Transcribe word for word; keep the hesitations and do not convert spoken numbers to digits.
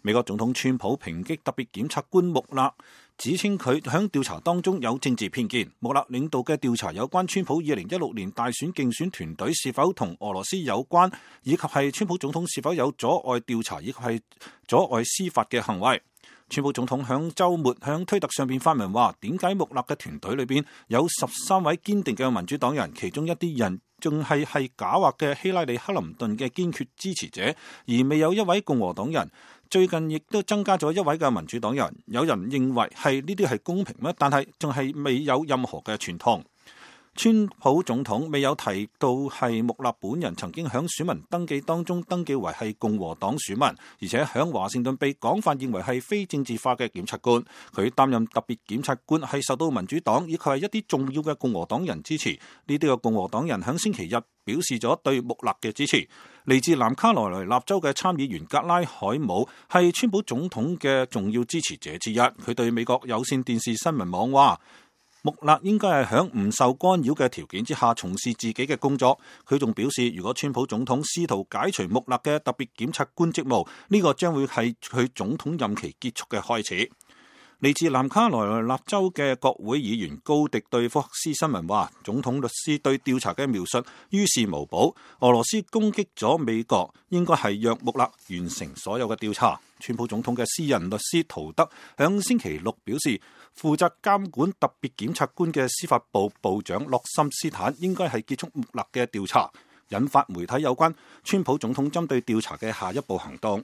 美國總統川普抨擊特別檢察官穆勒，指稱佢響調查當中有政治偏見。穆勒領導嘅調查有關川普二零一六年大選競選團隊是否同俄羅斯有關，以及係川普總統是否有阻礙調查以及係阻礙司法嘅行為。川普總統響週末響推特上邊發文話，點解穆勒嘅團隊裏邊有十三位堅定嘅民主黨人，其中一啲人仲係係狡猾嘅希拉里克林頓嘅堅決支持者，而未有一位共和黨人。最近亦都增加咗一位嘅民主黨人。有人認為係呢啲係公平咩？但係仲係未有任何嘅傳統。川普總統未有提到係穆勒本人曾經響選民登記當中登記為係共和黨選民，而且響華盛頓被廣泛認為係非政治化嘅檢察官。佢擔任特別檢察官係受到民主黨以及係一啲重要嘅共和黨人支持。呢啲嘅共和黨人響星期日表示咗對穆勒嘅支持。嚟自南卡羅來納州嘅參議員格拉海姆係川普總統嘅重要支持者之一。佢對美國有線電視新聞網話，穆勒應該係響唔受干擾嘅條件之下從事自己嘅工作。佢仲表示，如果川普總統試圖解除穆勒嘅特別檢察官職務，呢個將會係佢總統任期結束嘅開始。嚟自南卡羅來納州嘅國會議員高迪對福克斯新聞話，總統律師對調查嘅描述於事無補。俄羅斯攻擊咗美國，應該係讓穆勒完成所有嘅調查。川普總統嘅私人律師陶德響星期六表示，負責監管特別檢察官嘅司法部部長洛森斯坦應該係結束穆勒嘅調查，引發媒體有關川普總統針對調查嘅下一步行動。